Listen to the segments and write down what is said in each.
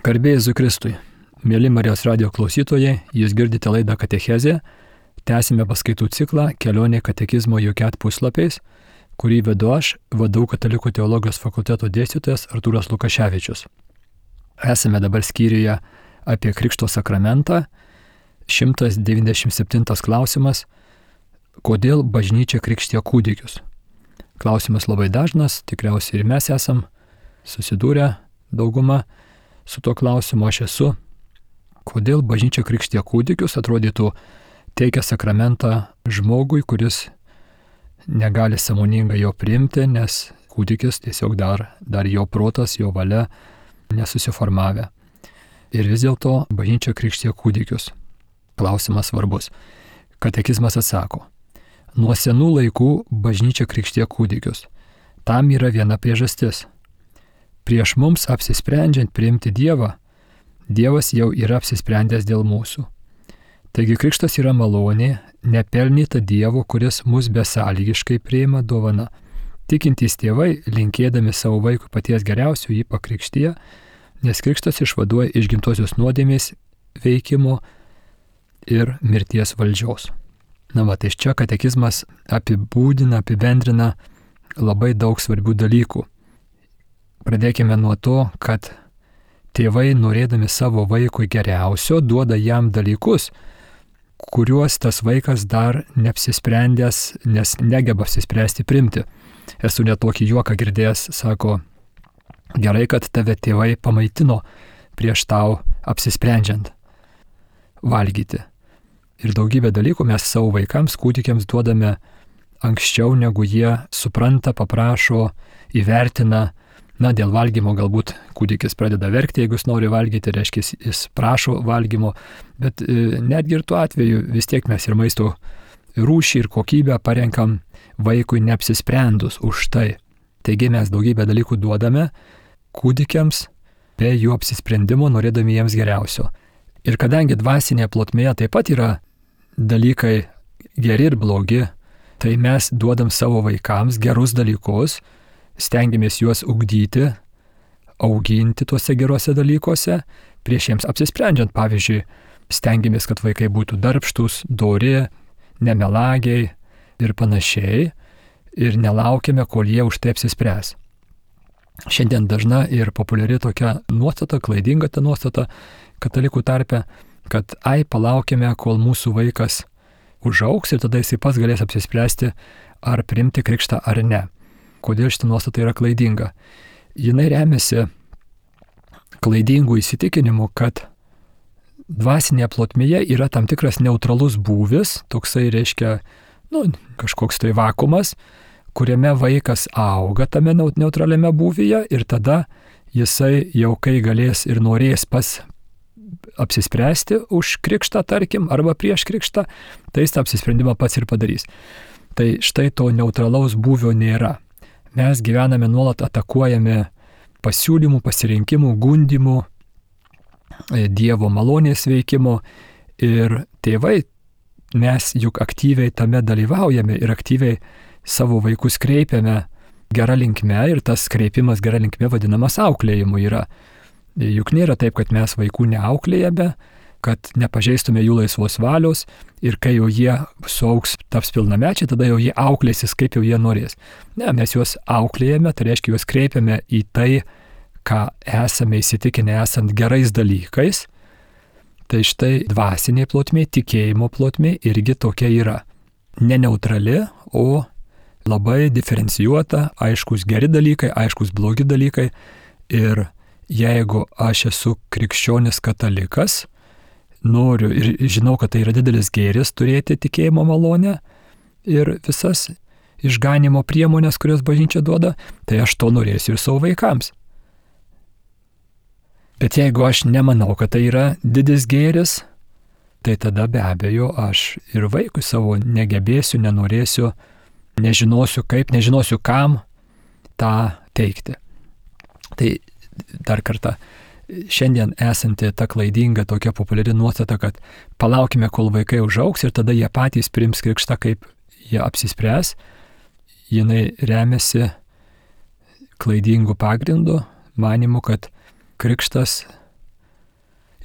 Garbė Jėzui Kristui. Mėly Marijos radijo klausytojai, jūs girdite laidą Katechezė. Tęsime paskaitų ciklą Kelionė katekizmo jokiat puslapiais, kurį vedu aš, VDU Katalikų teologijos fakulteto dėstytojas Artūras Lukaševičius. Esame dabar skyriuje apie Krikšto sakramentą. 197 klausimas. Kodėl bažnyčia krikštija kūdikius? Klausimas labai dažnas, tikriausiai ir mes esam susidūrę dauguma su tuo klausimu, aš esu. Kodėl bažnyčia krikštija kūdikius? Atrodytų, teikia sakramentą žmogui, kuris negali sąmoningai jo priimti, nes kūdikis tiesiog dar jo protas, jo valia nesusiformavę. Ir vis dėlto bažnyčia krikštija kūdikius. Klausimas svarbus. Katekizmas atsako. Nuo senų laikų bažnyčia krikštija kūdikius. Tam yra viena priežastis. Prieš mums apsisprendžiant priimti Dievą, Dievas jau yra apsisprendęs dėl mūsų. Taigi krikštas yra malonė, nepelnyta Dievo, kuris mus besąlygiškai priima dovana. Tikintys tėvai, linkėdami savo vaikui paties geriausio, jį pakrikštyja, nes krikštas išvaduoja iš gimtosios nuodėmės veikimo ir mirties valdžios. Tai čia katekizmas apibendrina labai daug svarbių dalykų. Pradėkime nuo to, kad tėvai, norėdami savo vaikui geriausio, duoda jam dalykus, kuriuos tas vaikas dar neapsisprendęs, nes negeba apsispręsti primti. Esu net tokį juoką girdėjęs, sako, gerai, kad tave tėvai pamaitino prieš tau apsisprendžiant valgyti. Ir daugybę dalykų mes savo vaikams, kūdikiams duodame anksčiau, negu jie supranta, paprašo, įvertina. Dėl valgymo galbūt kūdikis pradeda verkti, jeigu jis nori valgyti, reiškia, jis prašo valgymo, bet netgi ir tuo atveju vis tiek mes ir maisto rūšį ir kokybę parenkam vaikui neapsisprendus už tai. Taigi mes daugybę dalykų duodame kūdikiams be jų apsisprendimo, norėdami jiems geriausio. Ir kadangi dvasinėje plotmėje taip pat yra dalykai geri ir blogi, tai mes duodam savo vaikams gerus dalykus, stengiamės juos ugdyti, auginti tuose geruose dalykuose, prieš jiems apsisprendžiant, pavyzdžiui, stengiamės, kad vaikai būtų darbštūs, dori, nemelagiai ir panašiai, ir nelaukiame, kol jie už tai apsispręs. Šiandien dažna ir populiari tokia nuostata, klaidinga ta nuostata katalikų tarpe, kad palaukime, kol mūsų vaikas užaugs ir tada jis pats galės apsispręsti, ar priimti krikštą ar ne. Kodėl šitą nuostatą yra klaidinga? Jinai remiasi klaidingų įsitikinimu, kad dvasinėje plotmėje yra tam tikras neutralus būvis, toksai reiškia, kažkoks tai vakumas, kuriame vaikas auga tame neutraliame būvyje ir tada jisai jau kai galės ir norės pas apsispręsti už krikštą, tarkim, arba prieš krikštą, tai jis tą apsisprendimą pats ir padarys. Tai štai to neutralaus būvio nėra. Mes gyvename nuolat atakuojami pasiūlymų, pasirinkimų, gundimų, Dievo malonės veikimo ir tėvai, mes juk aktyviai tame dalyvaujame ir aktyviai savo vaikus kreipiame gerą linkme ir tas kreipimas gerą linkme vadinamas auklėjimu yra. Juk nėra taip, kad mes vaikų neauklėjame, kad nepažeistume jų laisvos valios ir kai jau jie suaugs, taps pilnamečiai, tada jau jie auklėsis, kaip jau jie norės. Ne, mes juos auklėjame, tai reiškia juos kreipiame į tai, ką esame įsitikinę esant gerais dalykais. Tai štai dvasinė plotmė, tikėjimo plotmė irgi tokia yra. Ne neutrali, o labai diferencijuota, aiškus geri dalykai, aiškus blogi dalykai. Ir jeigu aš esu krikščionis katalikas, noriu ir žinau, kad tai yra didelis gėris turėti tikėjimo malonę ir visas išganimo priemonės, kurias bažnyčia duoda, tai aš to norėsiu ir savo vaikams. Bet jeigu aš nemanau, kad tai yra didis gėris, tai tada be abejo aš ir vaikui savo negebėsiu, nenorėsiu, nežinosiu kaip, nežinosiu kam tą teikti. Tai dar kartą, šiandien esanti ta klaidinga tokia populiari nuostata, kad palaukime, kol vaikai užaugs ir tada jie patys priims krikštą, kaip jie apsispręs, jinai remiasi klaidingų pagrindų, manimu, kad krikštas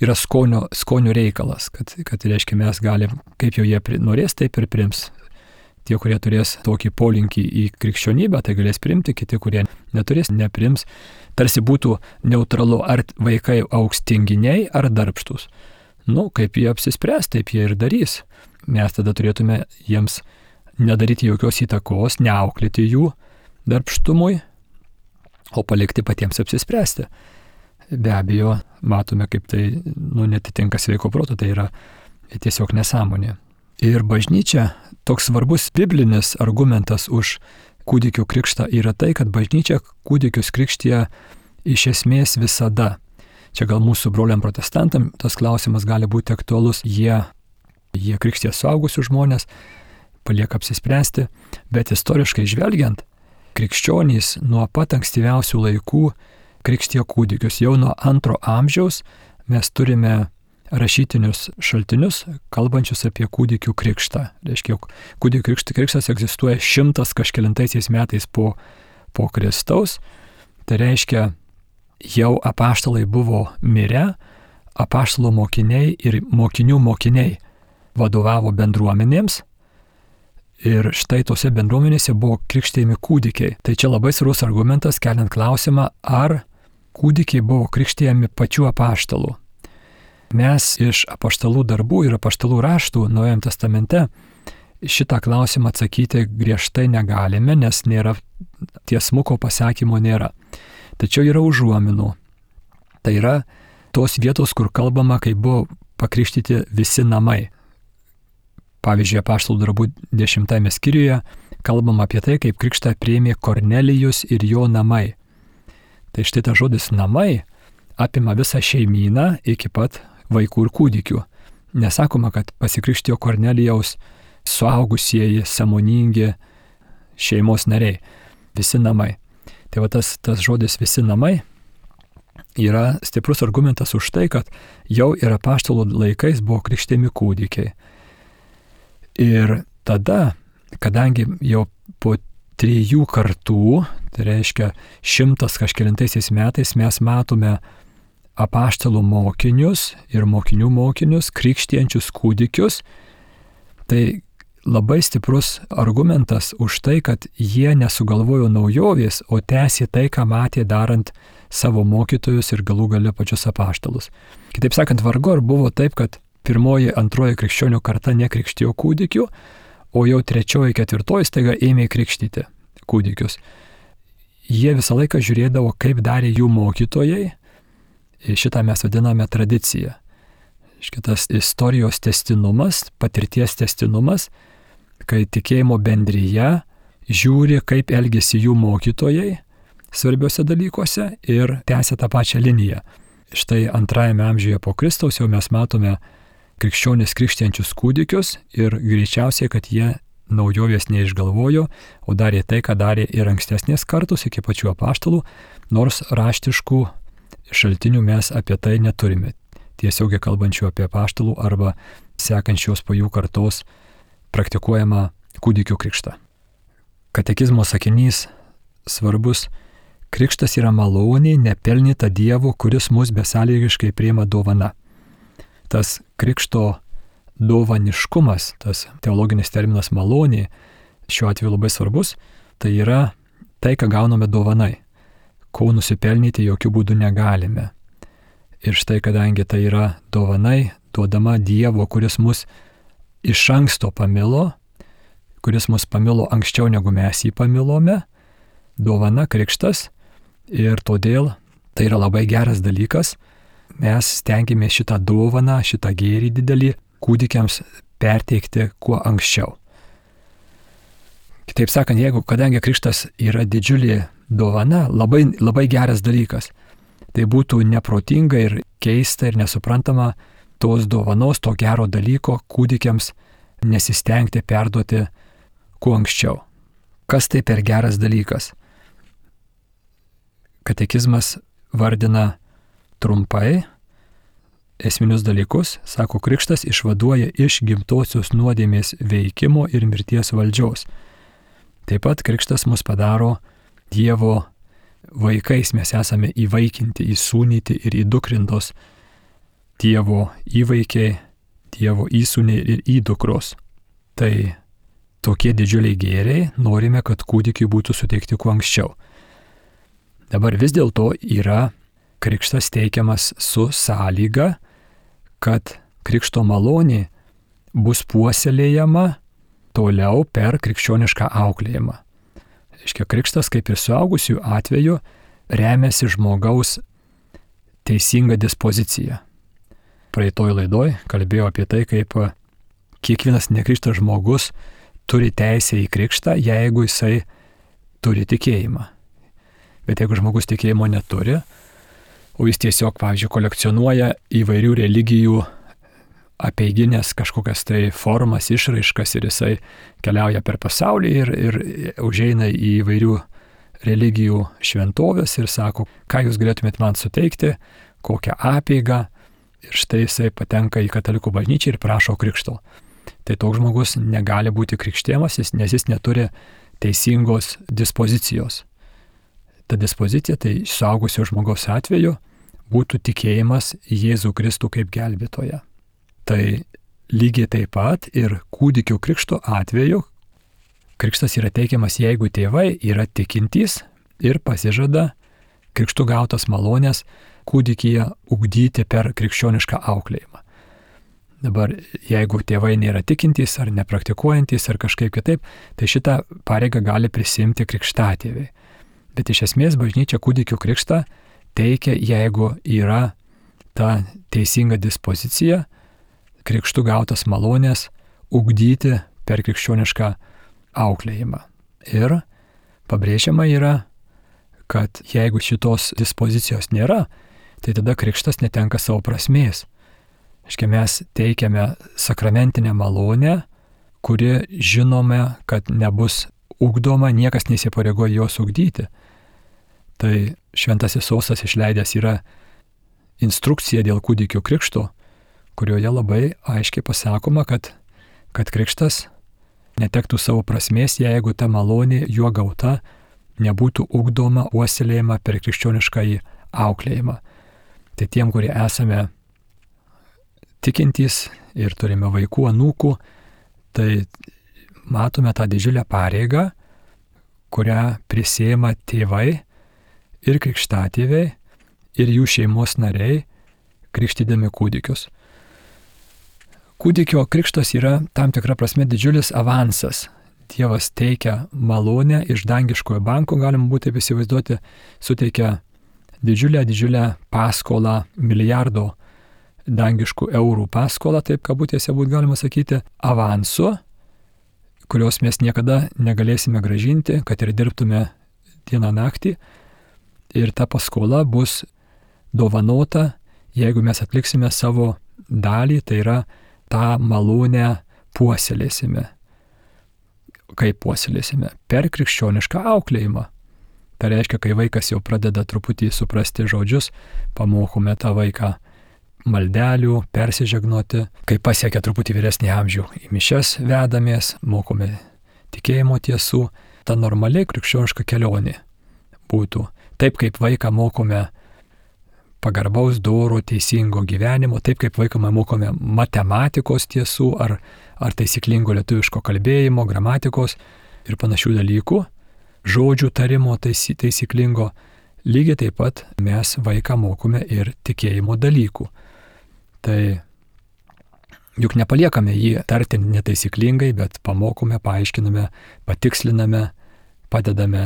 yra skonio reikalas, kad reiškia mes galim, kaip jau jie norės, taip ir priims. Tie, kurie turės tokį polinkį į krikščionybę, tai galės priimti, kiti, kurie neturės, nepriims. Tarsi būtų neutralu, ar vaikai augs tinginiai ar darbštus. Kaip jie apsispręs, taip jie ir darys. Mes tada turėtume jiems nedaryti jokios įtakos, neauklėti jų darbštumui, o palikti patiems apsispręsti. Be abejo, matome, kaip tai netitinka sveiko proto, tai yra tiesiog nesąmonė. Ir bažnyčia, toks svarbus biblinis argumentas už kūdikių krikštą yra tai, kad bažnyčia kūdikius krikštija iš esmės visada. Čia gal mūsų broliam protestantam tas klausimas gali būti aktualus. Jie krikštija suaugusius žmonės, palieka apsispręsti, bet istoriškai žvelgiant, krikščionys nuo pat ankstyviausių laikų krikštijo kūdikius. Jau nuo 2 amžiaus mes turime rašytinius šaltinius, kalbančius apie kūdikių krikštą. Reiškia, kūdikių krikštas egzistuoja 100 kažkelintaisiais metais po Kristaus. Tai reiškia, jau apaštalai buvo mirę, apaštalų mokiniai ir mokinių mokiniai vadovavo bendruomenėms. Ir štai tose bendruomenėse buvo krikštijami kūdikiai. Tai čia labai svarbus argumentas, keliant klausimą, ar kūdikiai buvo krikštijami pačių apaštalų. Mes iš apaštalų darbų ir apaštalų raštų Naujajame testamente šitą klausimą atsakyti griežtai negalime, nes nėra tiesmuko pasakymo nėra. Tačiau yra užuominų. Tai yra tos vietos, kur kalbama, kai buvo pakrikštyti visi namai. Pavyzdžiui, apaštalų darbų 10 skyriuje kalbama apie tai, kaip krikštą priėmė Kornelijus ir jo namai. Tai štai tas žodis namai apima visą šeimyną iki pat vaikų ir kūdikių. Nesakoma, kad pasikrikštijo Kornelijaus suaugusieji, sąmoningi šeimos nariai. Visi namai. Tai va tas žodis visi namai yra stiprus argumentas už tai, kad jau ir apaštalų laikais buvo krikštijami kūdikiai. Ir tada, kadangi jau po 3 kartų, tai reiškia 100 kažkelintaisiais metais, mes matome apaštalų mokinius ir mokinių mokinius, krikštijančius kūdikius, tai labai stiprus argumentas už tai, kad jie nesugalvojo naujovės, o tęsė tai, ką matė darant savo mokytojus ir galų gale pačius apaštalus. Kitaip sakant, vargu ar buvo taip, kad 1., 2. krikščionių karta nekrikštijo kūdikių, o jau 3., 4. staiga ėmė krikštyti kūdikius. Jie visą laiką žiūrėdavo, kaip darė jų mokytojai. Šitą mes vadiname tradicija. Šitas istorijos tęstinumas, patirties tęstinumas, kai tikėjimo bendryje žiūri, kaip elgėsi jų mokytojai svarbiuose dalykuose ir tęsia tą pačią liniją. Štai 2 amžiuje po Kristaus jau mes matome krikščionis krikštijančius kūdikius ir greičiausiai, kad jie naujovės neišgalvojo, o darė tai, ką darė ir ankstesnės kartos iki pačių apaštalų, nors raštiškų šaltinių mes apie tai neturime. Tiesiogiai kalbančių apie apaštalų arba sekančios po jų kartos praktikuojama kūdikių krikštą. Katekizmo sakinys svarbus. Krikštas yra malonė, nepelnyta Dievo, kuris mus besąlygiškai priima dovana. Tas krikšto dovaniškumas, tas teologinis terminas malonė, šiuo atveju labai svarbus, tai yra tai, ką gauname dovanai, ko nusipelnyti jokių būdų negalime. Ir štai, kadangi tai yra dovanai, duodama Dievo, kuris mus iš anksto pamilo, kuris mus pamilo anksčiau negu mes jį pamilome, dovana krikštas, ir todėl tai yra labai geras dalykas. Mes stengiamės šitą dovaną, šitą gėrį didelį kūdikiams perteikti kuo anksčiau. Kitaip sakant, kadangi krikštas yra didžiulė dovana, labai geras dalykas, tai būtų neprotinga ir keista ir nesuprantama tos dovanos, to gero dalyko kūdikiams nesistengti perduoti kuo anksčiau. Kas tai per geras dalykas? Katekizmas vardina trumpai esminius dalykus, sako, krikštas išvaduoja iš gimtosios nuodėmės veikimo ir mirties valdžios. Taip pat krikštas mus padaro Dievo vaikais, mes esame įvaikinti, įsūnyti ir įdukrintos Dievo įvaikiai, Dievo įsūniai ir įdukros. Tai tokie didžiuliai gėriai norime, kad kūdikiui būtų suteikti kuo anksčiau. Dabar vis dėlto yra krikštas teikiamas su sąlyga, kad krikšto malonė bus puoselėjama toliau per krikščionišką auklėjimą. Reiškia, krikštas, kaip ir suaugusių atveju, remiasi žmogaus teisinga dispozicija. Praeitoj laidoj kalbėjau apie tai, kaip kiekvienas nekrikštas žmogus turi teisę į krikštą, jeigu jisai turi tikėjimą. Bet jeigu žmogus tikėjimo neturi, o jis tiesiog, pavyzdžiui, kolekcionuoja įvairių religijų apeiginės kažkokias tai formas, išraiškas ir jisai keliauja per pasaulį ir užeina į įvairių religijų šventovės ir sako, ką jūs galėtumėt man suteikti, kokią apeigą, ir štai jisai patenka į katalikų bažnyčią ir prašo krikšto. Tai toks žmogus negali būti krikštijamas, nes jis neturi teisingos dispozicijos. Ta dispozicija, tai suaugusio žmogaus atveju, būtų tikėjimas Jėzų Kristų kaip gelbėtoją. Tai lygiai taip pat ir kūdikio krikšto atveju krikštas yra teikiamas, jeigu tėvai yra tikintys ir pasižada krikštų gautas malonės kūdikyje ugdyti per krikščionišką auklėjimą. Dabar, jeigu tėvai nėra tikintys ar nepraktikuojantys ar kažkaip kitaip, tai šitą pareigą gali prisimti krikštatėviai. Bet iš esmės bažnyčia kūdikio krikštą teikia, jeigu yra ta teisinga dispozicija krikštų gautas malonės ugdyti per krikščionišką auklėjimą. Ir pabrėžiama yra, kad jeigu šitos dispozicijos nėra, tai tada krikštas netenka savo prasmės. Aiškiai, mes teikiame sakramentinę malonę, kuri žinome, kad nebus ugdoma, niekas neįsipareigoja jos ugdyti. Tai Šventasis Sostas išleidęs yra instrukcija dėl kūdikio krikšto, kurioje labai aiškiai pasakoma, kad krikštas netektų savo prasmės, jeigu ta malonė juo gauta nebūtų ugdoma, puoselėjama per krikščioniškąjį auklėjimą. Tai tiem, kurie esame tikintys ir turime vaikų, anūkų, tai matome tą didžiulę pareigą, kurią prisiima tėvai ir krikštatėviai ir jų šeimos nariai, krikštydami kūdikius. Kūdikio krikštas yra tam tikra prasme didžiulis avansas. Dievas teikia malonę iš dangiškojo banko, galim būti taip įsivaizduoti, suteikia didžiulę paskolą, milijardo dangiškų eurų paskolą, taip kabutėse būtų galima sakyti, avansu, kurios mes niekada negalėsime gražinti, kad ir dirbtume dieną naktį. Ir ta paskola bus dovanota, jeigu mes atliksime savo dalį, tai yra tą malonę puoselėsime. Kaip puoselėsime? Per krikščionišką auklėjimą. Tai reiškia, kai vaikas jau pradeda truputį suprasti žodžius, pamokome tą vaiką maldelių, persižegnoti. Kai pasiekia truputį vyresnį amžių, į mišias vedamės, mokome tikėjimo tiesų. Ta normaliai krikščioniška kelionė būtų. Taip kaip vaiką mokome pagarbaus, doro, teisingo gyvenimo, taip kaip vaiką mokome matematikos tiesų ar taisyklingo lietuviško kalbėjimo, gramatikos ir panašių dalykų, žodžių tarimo taisyklingo, lygiai taip pat mes vaiką mokome ir tikėjimo dalykų. Tai juk nepaliekame jį tarti netaisyklingai, bet pamokome, paaiškiname, patiksliname, padedame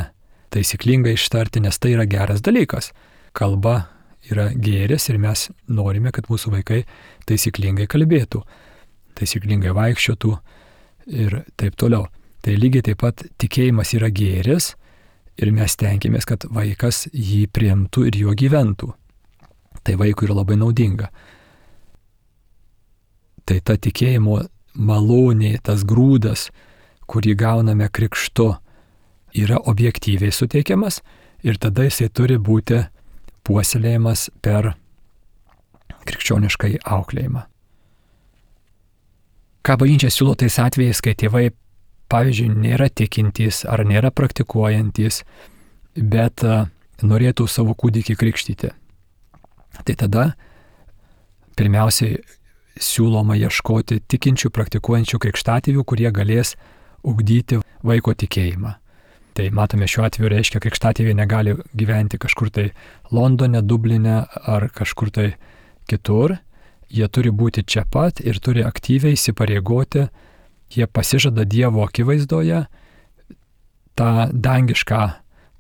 taisyklingai ištarti, nes tai yra geras dalykas. Kalba yra gėris ir mes norime, kad mūsų vaikai taisyklingai kalbėtų, taisyklingai vaikščiotų ir taip toliau. Tai lygiai taip pat tikėjimas yra gėris ir mes tenkimės, kad vaikas jį priimtų ir juo gyventų. Tai vaikui yra labai naudinga. Tai ta tikėjimo malonė, tas grūdas, kurį gauname krikštu, yra objektyviai suteikiamas ir tada jisai turi būti puoselėjimas per krikščioniškai auklėjimą. Ką bažnyčia siūlo tais atvejais, kai tėvai, pavyzdžiui, nėra tikintys ar nėra praktikuojantys, bet norėtų savo kūdikį krikštyti. Tai tada pirmiausiai siūloma ieškoti tikinčių, praktikuojančių krikštatėvių, kurie galės ugdyti vaiko tikėjimą. Tai matome, šiuo atveju reiškia, krikštatėviai negali gyventi kažkur tai Londone, Dubline ar kažkur tai kitur. Jie turi būti čia pat ir turi aktyviai įsipareigoti. Jie pasižada Dievo akivaizdoje tą dangišką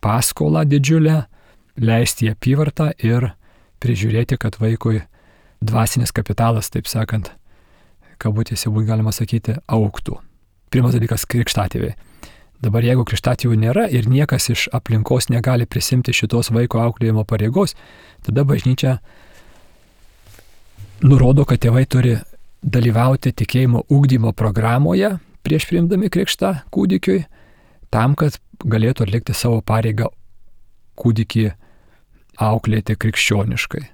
paskolą didžiulę, leisti į apyvartą ir prižiūrėti, kad vaikui dvasinis kapitalas, taip sakant, kabutėse būtų galima sakyti, augtų. Pirmas dalykas - krikštatėviai. Dabar jeigu krikštatėvių nėra ir niekas iš aplinkos negali prisimti šitos vaiko auklėjimo pareigos, tada bažnyčia nurodo, kad tėvai turi dalyvauti tikėjimo ugdymo programoje prieš priimdami krikštą kūdikiui, tam, kad galėtų atlikti savo pareigą kūdikį auklėti krikščioniškai.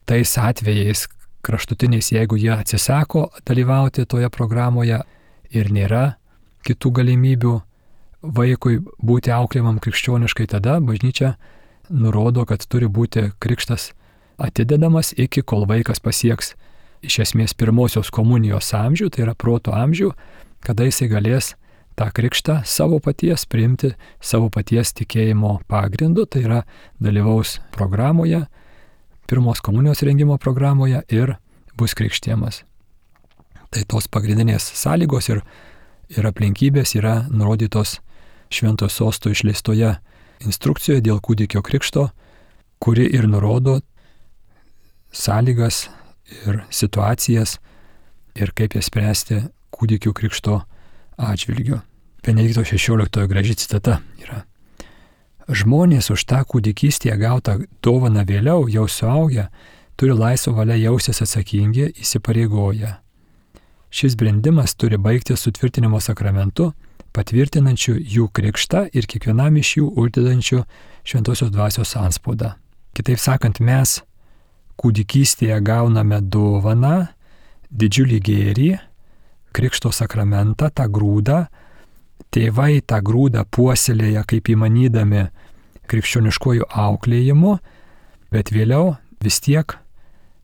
Tais atvejais kraštutiniais, jeigu jie atsisako dalyvauti toje programoje ir nėra kitų galimybių vaikui būti auklėjimam krikščioniškai, tada bažnyčia nurodo, kad turi būti krikštas atidedamas iki kol vaikas pasieks iš esmės pirmosios komunijos amžių, tai yra proto amžių, kada jisai galės tą krikštą savo paties priimti, savo paties tikėjimo pagrindu, tai yra dalyvaus programoje, pirmos komunijos rengimo programoje ir bus krikštijamas. Tai tos pagrindinės sąlygos ir aplinkybės yra nurodytos Šventojo Sosto išleistoje instrukcijoje dėl kūdikio krikšto, kuri ir nurodo sąlygas ir situacijas ir kaip jas spręsti kūdikių krikšto atžvilgiu. Benedikto XVI graži citata yra: žmonės už tą kūdikystėje gautą dovaną vėliau, jau suaugę, turi laisvą valią jaustis atsakingi, įsipareigoję. Šis brendimas turi baigti sutvirtinimo sakramentu, patvirtinančiu jų krikštą ir kiekvienam iš jų uždedančiu šventosios dvasios antspaudą. Kitaip sakant, mes kūdikystėje gauname dovaną, didžiulį gėrį, krikšto sakramentą, tą grūdą. Tėvai tą grūdą puoselėja kaip įmanydami krikščioniškojų auklėjimu, bet vėliau vis tiek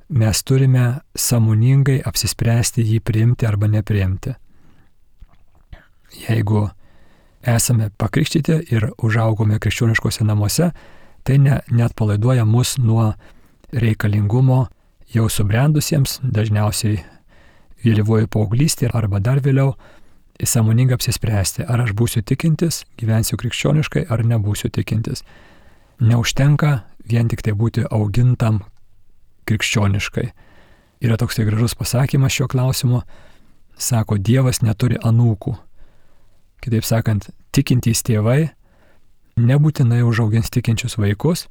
mes turime sąmoningai apsispręsti jį priimti arba nepriimti. Jeigu esame pakrikštyti ir užaugome krikščioniškose namuose, tai neatpalaiduoja mus nuo reikalingumo jau subrendusiems, dažniausiai vėlyvoji paauglystė arba dar vėliau, sąmoningai apsispręsti, ar aš būsiu tikintis, gyvensiu krikščioniškai, ar nebūsiu tikintis. Neužtenka vien tik tai būti augintam krikščioniškai. Yra toks gražus pasakymas šiuo klausimu, sako, Dievas neturi anūkų. Kitaip sakant, tikintys tėvai nebūtinai užaugins tikinčius vaikus,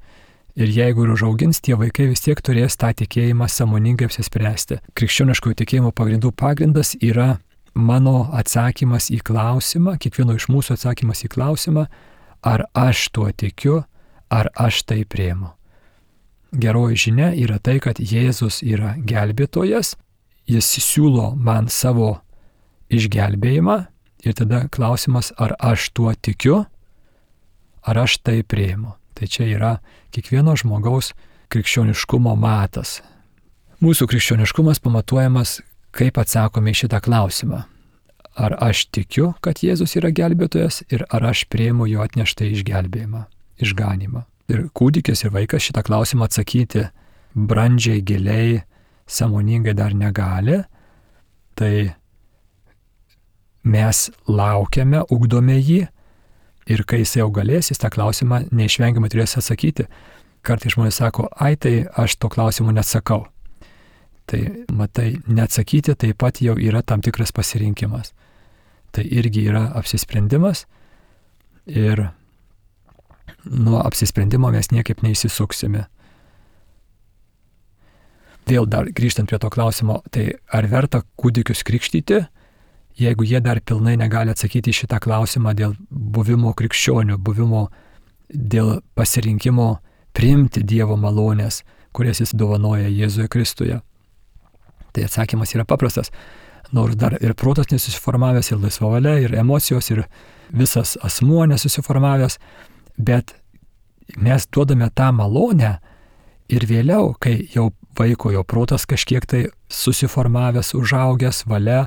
ir jeigu ir užaugins, tie vaikai vis tiek turės tą tikėjimą sąmoningai apsispręsti. Krikščioniškojo tikėjimo pagrindų pagrindas yra mano atsakymas į klausimą, kiekvieno iš mūsų atsakymas į klausimą, ar aš tuo tikiu, ar aš tai priimu. Geroji žinia yra tai, kad Jėzus yra gelbėtojas, jis siūlo man savo išgelbėjimą ir tada klausimas, ar aš tuo tikiu, ar aš tai priimu. Tai čia yra kiekvieno žmogaus krikščioniškumo matas. Mūsų krikščioniškumas pamatuojamas, kaip atsakome į šitą klausimą. Ar aš tikiu, kad Jėzus yra gelbėtojas ir ar aš priimu jo atneštą išgelbėjimą, išganymą. Ir kūdikis ir vaikas šitą klausimą atsakyti brandžiai, giliai, sąmoningai dar negali. Tai mes laukiame, ugdome jį ir kai jis jau galės, jis tą klausimą neišvengiamai turės atsakyti. Kartais žmonės sako, tai aš to klausimu neatsakau. Tai matai, neatsakyti taip pat jau yra tam tikras pasirinkimas. Tai irgi yra apsisprendimas ir nuo apsisprendimo mes niekaip neįsisuksime. Vėl dar grįžtant prie to klausimo, tai ar verta kūdikius krikštyti, jeigu jie dar pilnai negali atsakyti į šitą klausimą dėl buvimo krikščionių, buvimo dėl pasirinkimo priimti Dievo malonės, kurias jis dovanoja Jėzuje Kristuje. Tai atsakymas yra paprastas. Nors dar ir protas nesusiformavęs, ir laisva valia, ir emocijos, ir visas asmuo nesusiformavęs, bet mes duodame tą malonę ir vėliau, kai jau vaiko jo protas kažkiek tai susiformavęs, užaugęs, valia,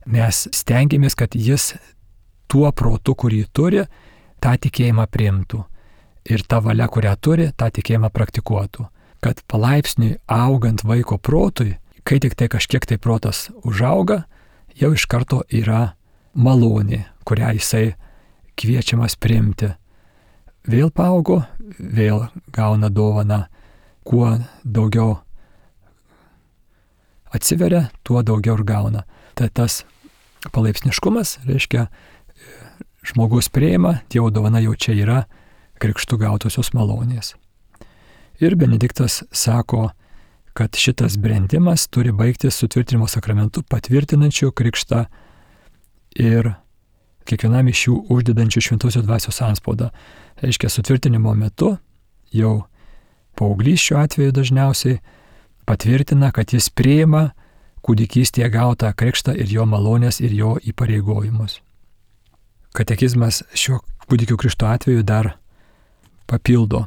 mes stengiamės, kad jis tuo protu, kurį turi, tą tikėjimą priimtų. Ir ta valia, kurią turi, tą tikėjimą praktikuotų. Kad palaipsniui augant vaiko protui, kai tik tai kažkiek tai protas užauga, jau iš karto yra malonė, kurią jisai kviečiamas priimti. Vėl paaugo, vėl gauna dovaną, kuo daugiau atsiveria, tuo daugiau ir gauna. Tai tas palaipsniškumas, reiškia, žmogus priima, Dievo dovana jau čia yra, krikštų gautosios malonės. Ir Benediktas sako, kad šitas brendimas turi baigtis sutvirtinimo sakramentu patvirtinančiu krikštą ir kiekvienam iš jų uždedančių šventosios dvasios antspaudą. Reiškia, sutvirtinimo metu jau paauglys šiuo atveju dažniausiai patvirtina, kad jis priima kūdikystėje gautą krikštą ir jo malonės ir jo įpareigojimus. Katekizmas šio kūdikio krikšto atveju dar papildo.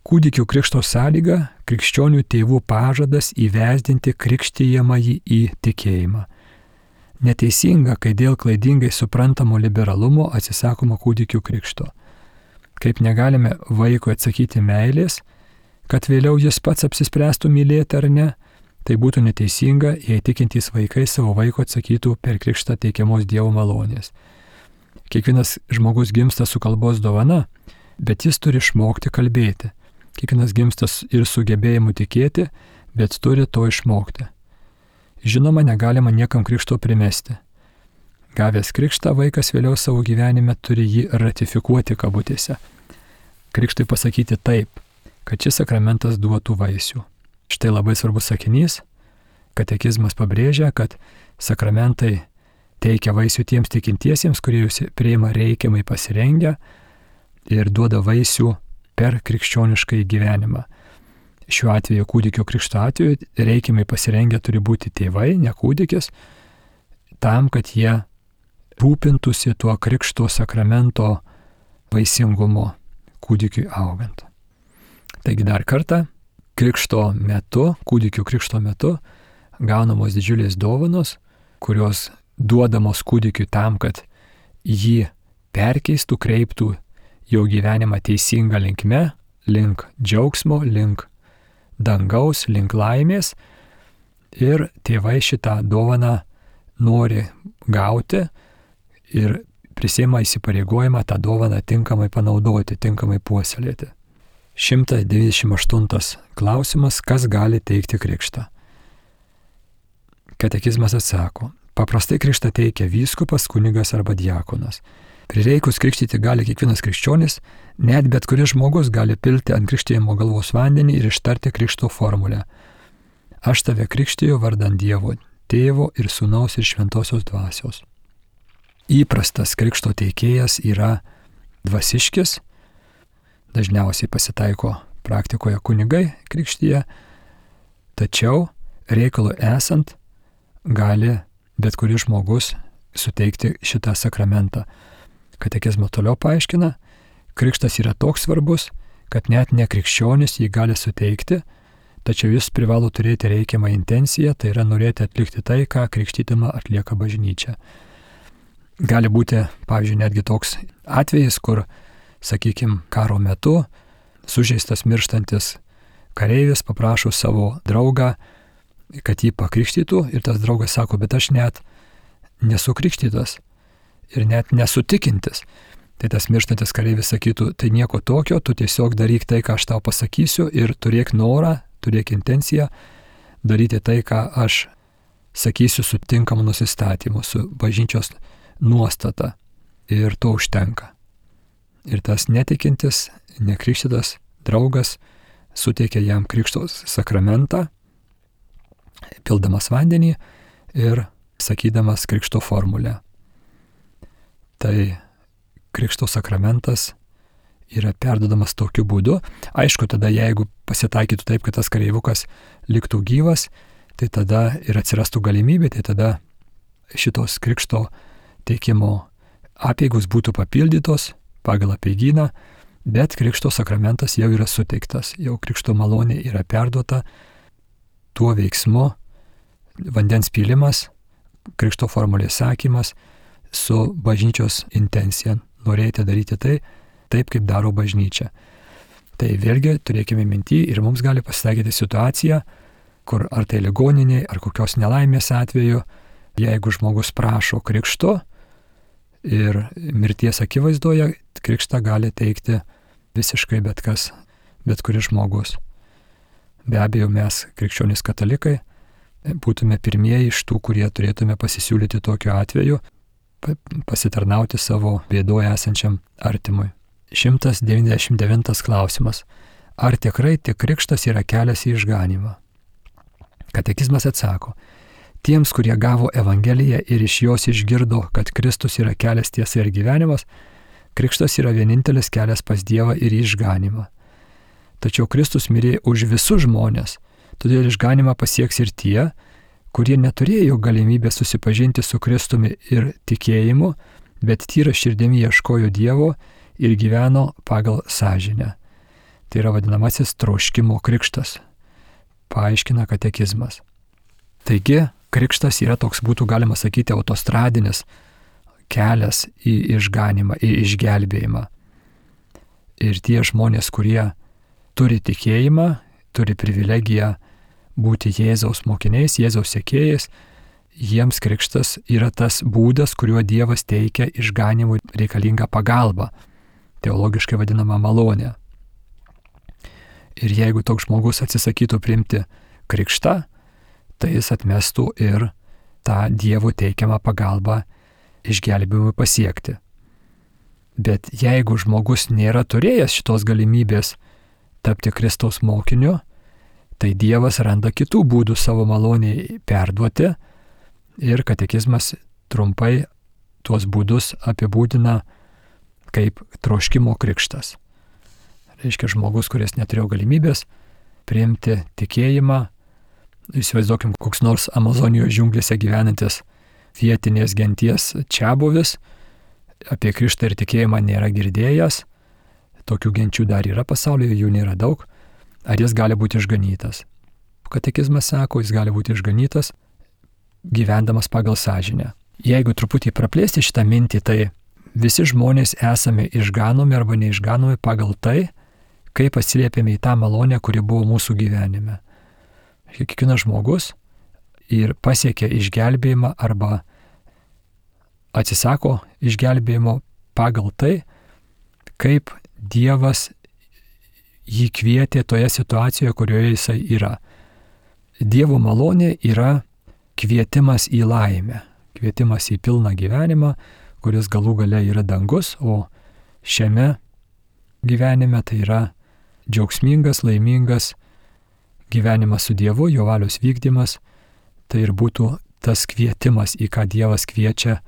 Kūdikio krikšto sąlyga – krikščionių tėvų pažadas įvesdinti krikštijamąjį į tikėjimą. Neteisinga, kai dėl klaidingai suprantamo liberalumo atsisakoma kūdikių krikšto. Kaip negalime vaikui atsakyti meilės, kad vėliau jis pats apsispręstų mylėti ar ne, tai būtų neteisinga, jei tikintys vaikai savo vaiko atsakytų per krikštą teikiamos Dievo malonės. Kiekvienas žmogus gimsta su kalbos dovana, bet jis turi išmokti kalbėti. Kiekvienas gimsta ir sugebėjimu tikėti, bet turi to išmokti. Žinoma, negalima niekam krikšto primesti. Gavęs krikštą, vaikas vėliau savo gyvenime turi jį ratifikuoti kabutėse. Krikštui pasakyti taip, kad šis sakramentas duotų vaisių. Štai labai svarbus sakinys. Katekizmas pabrėžia, kad sakramentai teikia vaisių tiems tikintiesiems, kurie jūs priima reikiamai pasirengę ir duoda vaisių per krikščionišką gyvenimą. Šiuo atveju kūdikio krikšto atveju reikiamai pasirengę turi būti tėvai, ne kūdikis, tam, kad jie rūpintųsi tuo krikšto sakramento vaisingumu kūdikiui augant. Taigi dar kartą, krikšto metu, kūdikio krikšto metu gaunamos didžiulės dovanos, kurios duodamos kūdikiui tam, kad jį perkeistų, kreiptų jo gyvenimą teisinga linkme, link džiaugsmo, link dangaus, link laimės. Ir tėvai šitą dovaną nori gauti ir prisiima įsipareigojimą tą dovaną tinkamai panaudoti, tinkamai puoselėti. 198 klausimas, kas gali teikti krikštą? Katekizmas atsako, paprastai krikštą teikia vyskupas, kunigas arba diakonas. Prireikus krikštyti gali kiekvienas krikščionis, net bet kuris žmogus gali pilti ant krikštijimo galvos vandenį ir ištarti krikšto formulę. Aš tave krikštiju vardan Dievo, Tėvo ir Sūnaus ir Šventosios dvasios. Įprastas krikšto teikėjas yra dvasiškis, dažniausiai pasitaiko praktikoje kunigai krikštyje, tačiau reikalui esant gali bet kuris žmogus suteikti šitą sakramentą. Katekizmo toliau paaiškina, krikštas yra toks svarbus, kad net nekrikščionis jį gali suteikti, tačiau jis privalo turėti reikiamą intenciją, tai yra norėti atlikti tai, ką krikštydama atlieka bažnyčia. Gali būti, pavyzdžiui, netgi toks atvejis, kur, sakykime, karo metu sužeistas mirštantis kareivis paprašo savo draugą, kad jį pakrikštytų ir tas draugas sako, bet aš net nesu krikštytas ir net nesutikintis. Tai tas mirštantis kareivis sakytų, tai nieko tokio, tu tiesiog daryk tai, ką aš tau pasakysiu ir turėk norą, turėk intenciją daryti tai, ką aš sakysiu su tinkamu nusistatymu, su bažnyčios nuostata. Ir to užtenka. Ir tas netikintis, nekrikštytas draugas suteikia jam krikšto sakramentą, pildamas vandenį ir sakydamas krikšto formulę. Tai krikšto sakramentas yra perduodamas tokiu būdu. Aišku, tada jeigu pasitaikytų taip, kad tas kareivukas liktų gyvas, tai tada ir atsirastų galimybė, tai tada šitos krikšto teikimo apeigos būtų papildytos pagal apeigyną, bet krikšto sakramentas jau yra suteiktas, jau krikšto malonė yra perduota tuo veiksmu, vandens pylimas, krikšto formulės sakymas su bažnyčios intencija. Norėjote daryti tai, taip kaip daro bažnyčia. Tai vėlgi turėkime minty ir mums gali pasitaikyti situacija, kur ar tai ligoniniai, ar kokios nelaimės atveju, jeigu žmogus prašo krikšto ir mirties akivaizdoje, krikštą gali teikti visiškai bet kas, bet kuris žmogus. Be abejo, mes, krikščionys katalikai, būtume pirmieji iš tų, kurie turėtume pasisiūlyti tokiu atveju, pasitarnauti savo bėdoje esančiam artimui. 199 klausimas. Ar tikrai tik krikštas yra kelias į išganymą? Katekizmas atsako, tiems, kurie gavo Evangeliją ir iš jos išgirdo, kad Kristus yra kelias, tiesa ir gyvenimas, krikštas yra vienintelis kelias pas Dievą ir į išganymą. Tačiau Kristus mirė už visus žmonės, todėl išganymą pasieks ir tie, kurie neturėjo galimybę susipažinti su Kristumi ir tikėjimu, bet tyra širdimi ieškojo Dievo ir gyveno pagal sąžinę. Tai yra vadinamasis troškimo krikštas, paaiškina katekizmas. Taigi, krikštas yra toks, būtų galima sakyti, autostradinis kelias į išganymą, į išgelbėjimą. Ir tie žmonės, kurie turi tikėjimą, turi privilegiją būti Jėzaus mokiniais, Jėzaus sekėjais, jiems krikštas yra tas būdas, kuriuo Dievas teikia išganymui reikalingą pagalbą, teologiškai vadinama malonė. Ir jeigu toks žmogus atsisakytų priimti krikštą, tai jis atmestų ir tą Dievo teikiamą pagalbą išgelbėjimui pasiekti. Bet jeigu žmogus nėra turėjęs šitos galimybės tapti Kristaus mokiniu, tai Dievas randa kitų būdų savo maloniai perduoti ir katekizmas trumpai tuos būdus apibūdina kaip troškimo krikštas. Reiškia, žmogus, kuris neturėjo galimybės priimti tikėjimą, įsivaizduokim, koks nors Amazonijos džiunglėse gyvenantis vietinės genties čiabuvis, apie krikštą ir tikėjimą nėra girdėjęs, tokių genčių dar yra pasaulyje, jų nėra daug, ar jis gali būti išganytas? Katekizmas sako, jis gali būti išganytas gyvendamas pagal sąžinę. Jeigu truputį praplėsti šitą mintį, tai visi žmonės esame išganomi arba neišganomi pagal tai, kaip atsiliepėme į tą malonę, kuri buvo mūsų gyvenime. Kiekvienas žmogus ir pasiekia išgelbėjimą arba atsisako išgelbėjimo pagal tai, kaip Dievas jį kvietė toje situacijoje, kurioje jisai yra. Dievo malonė yra kvietimas į laimę, kvietimas į pilną gyvenimą, kuris galų gale yra dangus, o šiame gyvenime tai yra džiaugsmingas, laimingas gyvenimas su Dievu, jo valios vykdymas, tai ir būtų tas kvietimas, į ką Dievas kviečia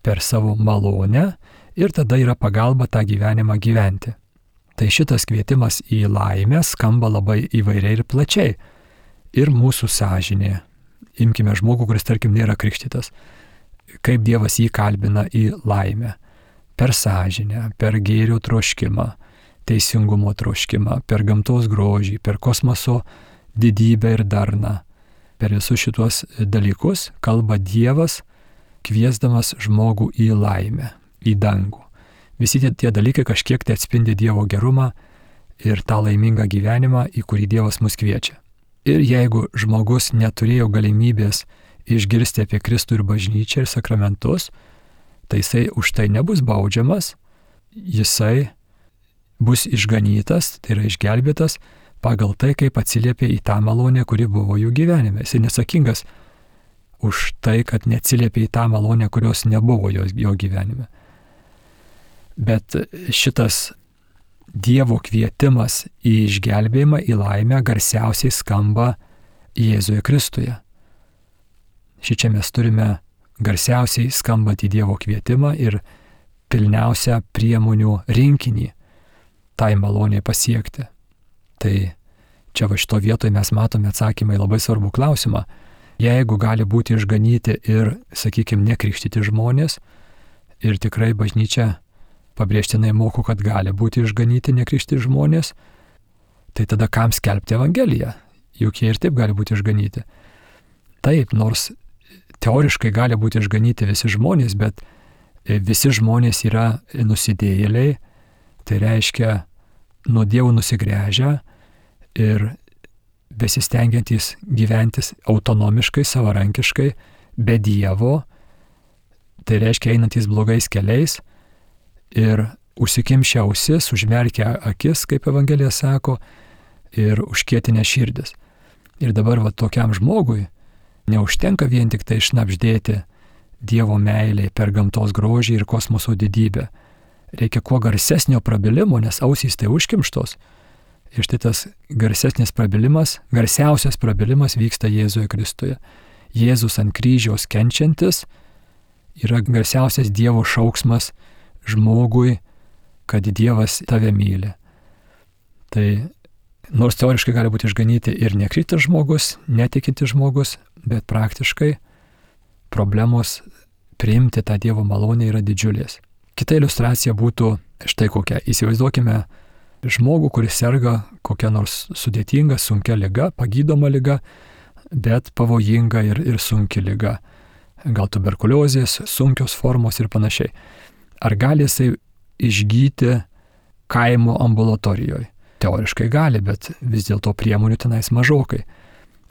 per savo malonę ir tada yra pagalba tą gyvenimą gyventi. Tai šitas kvietimas į laimę skamba labai įvairiai ir plačiai. Ir mūsų sąžinė. Imkime žmogų, kuris, tarkim, nėra krikštytas. Kaip Dievas jį kalbina į laimę. Per sąžinę, per gėrio troškimą, teisingumo troškimą, per gamtos grožį, per kosmoso didybę ir darną. Per visus šitos dalykus kalba Dievas, kviesdamas žmogų į laimę, į dangų. Visi tie dalykai kažkiek tai atspindi Dievo gerumą ir tą laimingą gyvenimą, į kurį Dievas mus kviečia. Ir jeigu žmogus neturėjo galimybės išgirsti apie Kristų ir bažnyčią ir sakramentus, tai jisai už tai nebus baudžiamas, jisai bus išganytas, tai yra išgelbėtas pagal tai, kaip atsiliepė į tą malonę, kuri buvo jų gyvenime. Jisai nesakingas už tai, kad neatsiliepė į tą malonę, kurios nebuvo jo gyvenime. Bet šitas Dievo kvietimas į išgelbėjimą, į laimę garsiausiai skamba Jėzuje Kristuje. Šičia mes turime garsiausiai skambantį Dievo kvietimą ir pilniausią priemonių rinkinį tai maloniai pasiekti. Tai čia va šito vietoje mes matome atsakymą į labai svarbų klausimą. Jeigu gali būti išganyti ir, sakykime, nekrikštyti žmonės, ir tikrai bažnyčia pabrėžtinai moko, kad gali būti išganyti nekrikštyti žmonės, tai tada kam skelbti Evangeliją? juk jie ir taip gali būti išganyti. Taip, nors teoriškai gali būti išganyti visi žmonės, bet visi žmonės yra nusidėjėliai, tai reiškia nuo Dievo nusigręžę ir besistengiantys gyventis autonomiškai, savarankiškai, be Dievo, tai reiškia einantys blogais keliais ir užsikimšę ausis, užmerkę akis, kaip Evangelija sako, ir užkietinę širdis. Ir dabar tokiam žmogui neužtenka vien tik tai šnabždėti Dievo meilei per gamtos grožį ir kosmoso didybę. Reikia kuo garsesnio prabilimo, nes ausys tai užkimštos. Ir štai tas garsesnis prabilimas, garsiausias prabilimas vyksta Jėzuje Kristuje. Jėzus ant kryžiaus kenčiantis yra garsiausias Dievo šauksmas žmogui, kad Dievas tave myli. Tai nors teoriškai gali būti išganyti ir nekritas žmogus, netikintis žmogus, bet praktiškai problemos priimti tą Dievo malonę yra didžiulės. Kita iliustracija būtų štai kokia. Įsivaizduokime žmogų, kuris serga kokia nors sudėtinga, sunkia liga, pagydoma liga, bet pavojinga ir sunki liga. Gal tuberkuliozės, sunkios formos ir panašiai. Ar gali jisai išgyti kaimo ambulatorijoje? Teoriškai gali, bet vis dėlto priemonių tenais mažokai.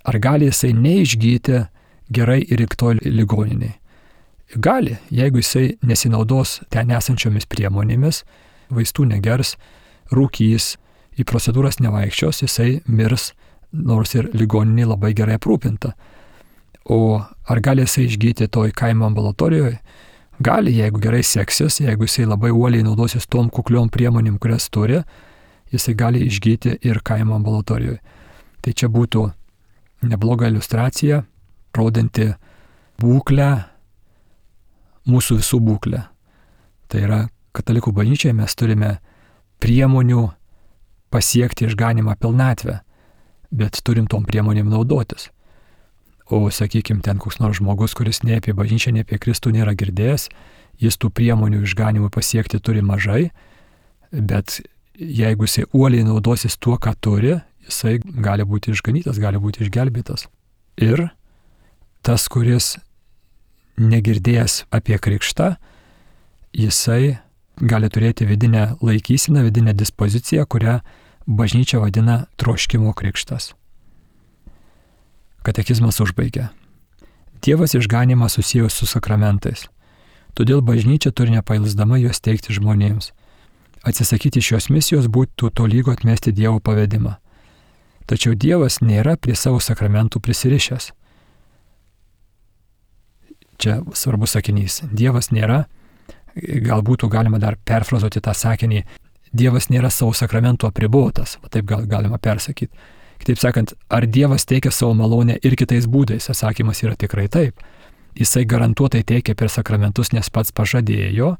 Ar gali jisai neišgyti gerai įriktoj ligoniniai? Gali, jeigu jisai nesinaudos ten esančiomis priemonėmis, vaistų negers, rūkys, į procedūras nevaikščios, jisai mirs, nors ir ligoniniai labai gerai aprūpinta. O ar gali jisai išgyti toj kaimo ambulatorijoje? Gali, jeigu gerai seksis, jeigu jisai labai uoliai naudosis tom kukliom priemonėm, kurias turi, jisai gali išgyti ir kaimo ambulatorijoje. Tai čia būtų nebloga iliustracija, rodanti būklę, mūsų visų būklę. Tai yra, katalikų bažnyčiai mes turime priemonių pasiekti išganimą pilnatvę, bet turim tom priemonėm naudotis. O, sakykime, ten koks nors žmogus, kuris nei apie bažnyčią, nei apie Kristų nėra girdėjęs, jis tų priemonių išganimui pasiekti turi mažai, bet jeigu jisai uoliai naudosis tuo, ką turi, jisai gali būti išganytas, gali būti išgelbėtas. Ir tas, kuris negirdėjęs apie krikštą, jisai gali turėti vidinę laikyseną, vidinę dispoziciją, kurią bažnyčia vadina troškimo krikštas. Katekizmas užbaigia. Dievas išganimą susijęs su sakramentais. Todėl bažnyčia turi nepailsdama juos teikti žmonėms. Atsisakyti šios misijos būtų tolygu atmesti Dievo pavedimą. Tačiau Dievas nėra prie savo sakramentų prisirišęs. Čia svarbus sakinys. Dievas nėra, galbūt galima dar perfrazuoti tą sakinį, Dievas nėra savo sakramentų apribotas, taip galima persakyti. Kitaip sakant, ar Dievas teikia savo malonę ir kitais būdais? Atsakymas yra tikrai taip. Jisai garantuotai teikia per sakramentus, nes pats pažadėjo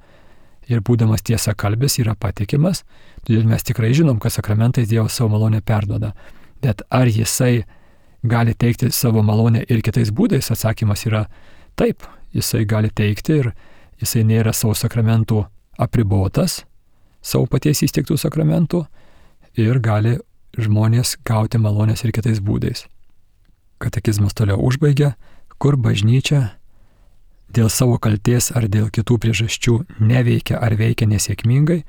ir būdamas tiesa kalbis yra patikimas, todėl mes tikrai žinom, kad sakramentais Dievas savo malonę perduoda. Bet ar jisai gali teikti savo malonę ir kitais būdais? Atsakymas yra taip. Jisai gali teikti ir jisai nėra savo sakramentų apribotas, savo paties įsteigtų sakramentų ir gali žmonės gauti malonės ir kitais būdais. Katekizmas toliau užbaigia, kur bažnyčia dėl savo kaltės ar dėl kitų priežasčių neveikia ar veikia nesėkmingai,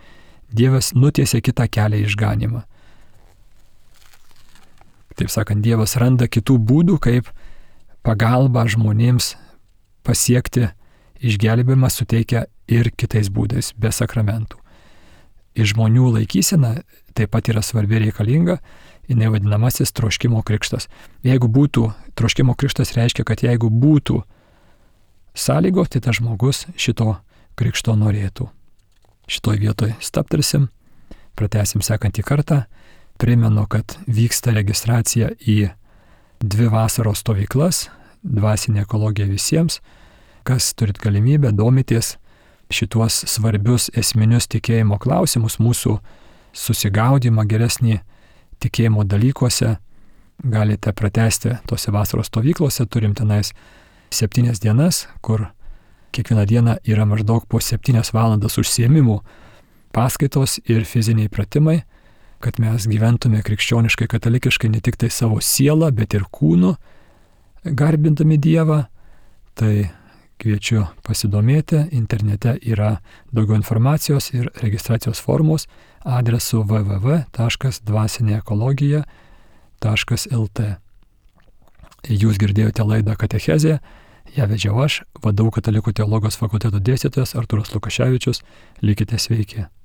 Dievas nutiesia kitą kelią į išganimą. Taip sakant, Dievas randa kitų būdų, kaip pagalbą žmonėms pasiekti išgelbėjimą suteikia ir kitais būdais, be sakramentų. Ir žmonių laikysena taip pat yra svarbi reikalinga, jinai vadinamasis troškimo krikštas. Jeigu būtų, troškimo krikštas reiškia, kad jeigu būtų sąlygos, tai tas žmogus šito krikšto norėtų. Šitoj vietoj stabtelsim, pratęsim sekantį kartą. Primenu, kad vyksta registracija į 2 vasaros stovyklas, dvasinė ekologija visiems. Kas turit galimybę, domitės šituos svarbius esminius tikėjimo klausimus, mūsų susigaudimą geresnį tikėjimo dalykuose, galite pratęsti tose vasaros stovyklose. Turim tenais 7 dienas, kur kiekvieną dieną yra maždaug po 7 valandas užsiėmimų, paskaitos ir fiziniai pratimai. kad mes gyventume krikščioniškai, katalikiškai ne tik tai savo sielą, bet ir kūnu, garbindami Dievą. Tai kviečiu pasidomėti, internete yra daugiau informacijos ir registracijos formos adresu www.dvasinėekologija.lt. Jūs girdėjote laidą Katechezė, ją vedžiau aš, VDU Katalikų teologijos fakulteto dėstytojas Artūras Lukaševičius. Likite sveiki.